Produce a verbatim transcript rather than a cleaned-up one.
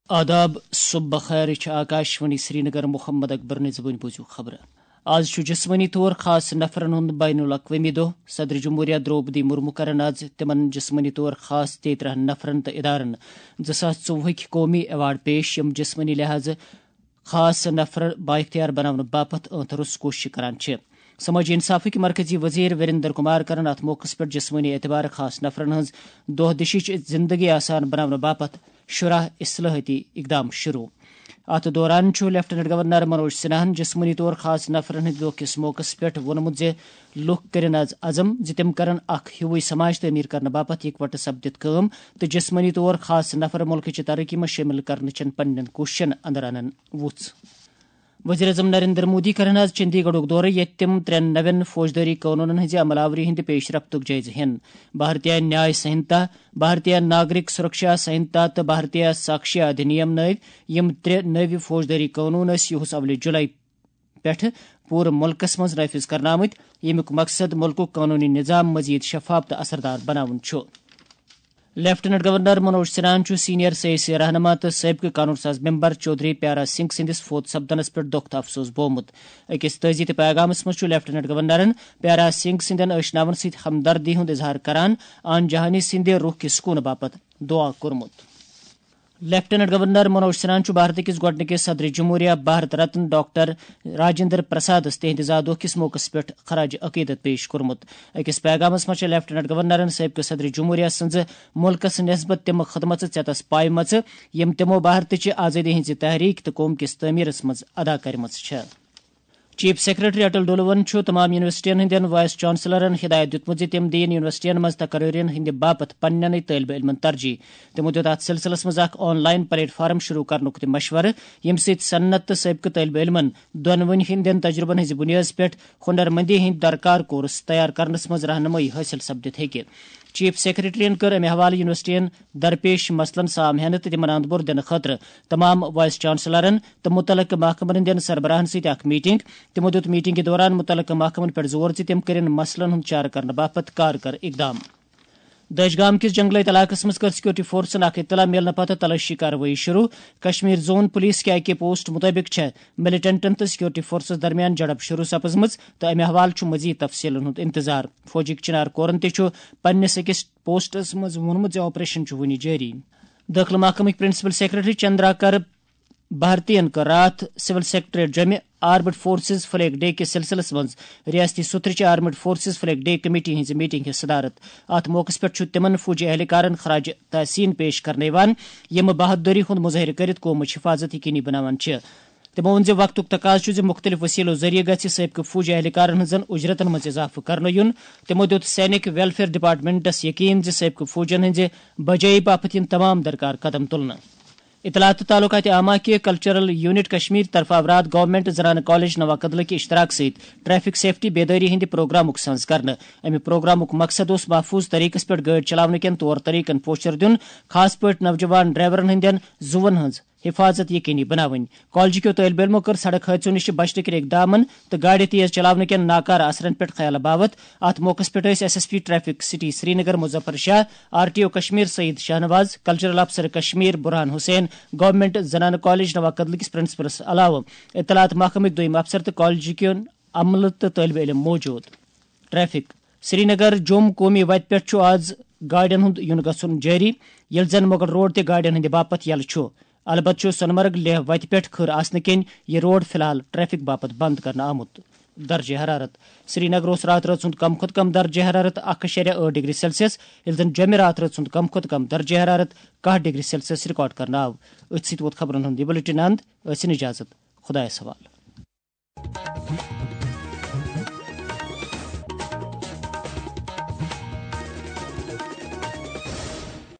آداب، صبح بخیر، یہِ چھِ آکاشوانی سرینگر۔ محمد اکبر نِزوٕنۍ بوٗزِو خبرٕ۔ آز چھُ جسمٲنی طور خاص نفرن ہُنٛد بین الاقوٲمی دۄہ۔ صدر جمہوریہ درٛوپدی مرمو کرن آز تِمن جسمٲنی طور خاص تیٚیہِ ترٕٛہن نفرن تہٕ ادارن زٕ ساس ژوٚوُہٕکۍ قومی ایوارڈ پیش، یِم جسمٲنی لحاظہٕ خاص نفر بااختیار بناونہٕ باپتھ ٲنتھ روٚس کوٗشش کران چھِ۔ سمٲجی انصافٕکۍ مرکزی وزیر وریندر کمار کرن اتھ موقعس پٮ۪ٹھ جسمٲنی اعتبار خاص نفرن ہٕنٛز دۄہ دِشٕچ زندگی آسان بناونہٕ باپتھ شُراہ اصلاحٲتی اقدام شروع۔ اتھ دوران چھُ لیفٹیننٹ گورنر منوج سنہاہن جسمٲنی طور خاص نفرن ہٕنٛدِ دۄہ کِس موقعس پٮ۪ٹھ ووٚنمُت زِ لوٗکھ کٔرِن از عزم زِ تِم کرن اکھ ہیوٗوٕے سماج تعمیٖر کرنہٕ باپتھ یکوٹہٕ سپدِتھ کٲم، تہٕ جسمٲنی طور خاص نفر مُلکٕچہِ ترقی منٛز شٲمِل کرنہٕ چٮ۪ن پننٮ۪ن کوٗششن اندر انن وُژھ۔ وزیر اعظم نریندر مودی کرن آز چندی گڑھُک دورٕ، ییٚتہِ تِم ترٛٮ۪ن نوٮ۪ن فوجدٲری قونوٗنن ہٕنٛزِ عمل آوری ہٕنٛدِ پیش رفتُک جٲیزٕ ہٮ۪ن۔ بھارتیہ نیاے سنہتا، بھارتیہ ناگرک سرکشا سنہتا تہٕ بھارتیہ ساکشیا ادھینیم نٲوۍ یِم ترٛےٚ نٔوۍ فوجدٲری قونوٗن ٲسۍ یِہُس اولہِ جُلای پٮ۪ٹھٕ پوٗرٕ مُلکَس منٛز نافذ کرنہٕ آمٕتۍ، ییٚمیُک مقصد مُلکُک قونوٗنی نظام مزید شفاف تہٕ اثردار بناوُن چھُ۔ لیفٹیننٹ گورنر منوج سنہاہن چھُ سینئر سیٲسی رہنما تہٕ سٲبقہٕ قانون ساز ممبر چودھری پیارا سنگھ سٕنٛدِس فوت سپدنس پٮ۪ٹھ دۄکھ تہٕ افسوس بوومُت۔ أکِس تعزیتی تہٕ پیغامس منٛز چھُ لیفٹیننٹ گورنرن پیارا سنگھ سٕنٛدٮ۪ن ٲشناون سۭتۍ ہمدردی ہُنٛد اظہار کران آن جہانی سٕنٛدِ روح کہِ سکوٗنہٕ باپتھ دعا کوٚرمُت۔ لیفٹیننٹ گورنر منوج سنہاہن چھُ بھارت کِس گۄڈٕنِکِس صدر جمہوریہ بھارت رتن ڈاکٹر راجندر پرسادس تِہنٛدِ زا دۄہ کِس موقعس پٮ۪ٹھ خراج عقیدت پیش کوٚرمُت۔ أکِس پیغامس منٛز چھےٚ لیفٹیننٹ گورنرن سٲبقہٕ صدر جمہوریہ سٕنٛزٕ مُلکس نسبت تِم خدمژٕ ژیتس پایمژٕ، یِم تِمو بھارتٕچہِ آزٲدی ہٕنٛزِ تحریک تہٕ قوم کِس تعمیرس منٛز ادا کرِمژٕ چھےٚ۔ چیف سیکرٹری اٹل ڈولون چھُ تمام یونیورسٹین ہٕنٛدٮ۪ن وائس چانسلرن ہدایت دیُتمُت زِ تِم دِیِن یونیورسٹین منٛز تقررین ہٕنٛدِ باپتھ پننٮ۪نٕے طٲلبہِ علمن ترجیح۔ تِمو دیُت اتھ سلسلس منٛز اکھ آن لائن پلیٹ فارم شروع کرنُک تہِ مشورٕ، ییٚمہِ سۭتۍ صنعت تہٕ سٲبقہٕ طٲلبہِ علمن دۄنوٕنی ہٕنٛدٮ۪ن تجربن ہٕنٛزِ بُنیٲدس پٮ۪ٹھ ہُنرمندی ہٕنٛدۍ درکار کورس تیار کرنس منٛز رہنمٲیی حٲصِل سپدِتھ ہیٚکہِ۔ چیف سیکرٹریَن کٔر اَمہِ حوالہٕ یونیورسٹیَن درپیش مسلن سام ہینہٕ تہٕ تِمن اند بور دِنہٕ خٲطرٕ تمام وائس چانسلرن تہٕ مُتعلقہٕ محکمن ہٕنٛدٮ۪ن سربراہن سۭتۍ اکھ میٹنگ۔ تِمو دیُت میٹنگہِ دوران مُتعلقہٕ محکمن پٮ۪ٹھ زور زِ تِم کٔرِن مسلن ہُنٛد چارٕ کرنہٕ باپتھ کارگر اقدام۔ دٲج گام کِس جنگلٲتۍ علاقس منٛز کٔر سیکورٹی فورسن اکھ اطلاع میلنہٕ پتہٕ تلٲشی کاروٲیی شروع۔ Kashmir zone police K I K post مُطٲبِق چھےٚ ملیٹنٹن تہٕ سیکورٹی فورسز درمیان جھڑپ شروع سپٕزمٕژ تہٕ اَمہِ حوالہٕ چھُ مزید تفصیلن ہُنٛد انتظار۔ فوجٕکۍ چنار کورن تہِ چھُ پننِس أکِس پوسٹس منٛز ووٚنمُت زِ آپریشن چھُ وُنہِ جٲری۔ دٲخلہٕ محکمٕکۍ پرنسپل سیکرٹری چندرا کر بھارتین کٔر راتھ سول سیکرٹریٹ جوٚمہِ آرمڈ فورسز فلیگ ڈے کِس سلسلس منٛز ریاستی سُترٕچہِ armed forces flag day committee ہٕنٛزِ میٹنگ ہٕنٛز صدارت۔ اتھ موقعس پٮ۪ٹھ چھُ تِمن فوجی اہلکارن خراج تحسین پیش کرنہٕ یِوان، یِم بہادری ہُنٛد مظٲہرٕ کٔرِتھ قومٕچ حفاظت یقینی بناوان چھِ۔ تِمو ووٚن زِ وقتُک تقاضہٕ چھُ زِ مُختٔلِف وسیلو ذٔریعہٕ گژھِ سٲبقہٕ فوجی اہلکارن ہٕنٛزن اجرتن منٛز اضافہٕ کرنہٕ یُن۔ تِمو دیُت سینک ویلفیئر ڈپارٹمنٹس یقین زِ سٲبقہٕ فوجن ہٕنٛزِ بجٲیی باپتھ یِن تمام درکار قدم تُلنہٕ۔ اطلاعات تہٕ تعلقات عامہ کہِ کلچرل یونٹ کشمیر طرفہٕ آو راتھ گورنمنٹ زنانہٕ کالج نوا کدلہٕ کہِ اشتراک سۭتۍ ٹریفک سیفٹی بیدٲری ہٕنٛدِ پروگرامُک سنز کرنہٕ۔ امہِ پروگرامُک مقصد اوس محفوظ طریقس پٮ۪ٹھ گٲڑۍ چلاونہٕ کٮ۪ن طور طریقن پوچھر دیُن، خاص پٲٹھۍ نوجوان ڈرائیورن ہٕنٛدٮ۪ن زُوَن ہٕنٛز حفاظت یقینی بناوٕنۍ۔ کالجہِ کیو طٲلبہِ علمو کٔر سڑک حٲدثو نِش بچنہٕ کِنۍ اقدامن تہٕ گاڑِ تیز چلاونہٕ کٮ۪ن ناکارٕ اثرن پٮ۪ٹھ خیال باوت۔ اتھ موقعس پٮ۪ٹھ ٲسۍ S S P traffic city Srinagar Muzaffar Shah, R T O Kashmir Saeed Shahnawaz, cultural افسر کشمیر برہان حسین، گورنمنٹ زنانہٕ کالج نوا کدلہٕ کِس پرنسپلس علاوٕ اطلاعات محکمٕکۍ دوٚیِم افسر تہٕ کالجہِ کٮ۪ن عملہٕ تہٕ طٲلبہِ علم موجود۔ ٹریفک۔ سرینگر جوم قومی وتہِ پٮ۪ٹھ چھُ آز گاڑٮ۪ن ہُنٛد یُن گژھُن جٲری، ییٚلہِ زن مغل روڈ تہِ گاڑٮ۪ن ہٕنٛدِ باپتھ یلہٕ چھُ۔ البتہ چھُ سونمرگ لیہہ وتہِ پٮ۪ٹھ کھٔر آسنہٕ کِنۍ یہِ روڈ فی الحال ٹریفک باپتھ بند کرنہٕ آمُت۔ درجہ حرارت۔ سرینگر اوس راتھ رٲژ ہُنٛد کم کھۄتہٕ کم درجہ حرارت اکھ اَشاریہ ٲٹھ ڈگری سیلسیس، ییٚلہِ زن جوٚمہِ راتھ رٲژ ہُنٛد کم کھۄتہٕ کم درجہ حرارت کاہ ڈگری سیلسیس ریکارڈ کرنہٕ آو۔ أتھۍ سۭتۍ ووت خبرن ہُنٛد یہِ بلیٹن اند۔ ٲسِن اجازت۔ خدایس حوالہٕ۔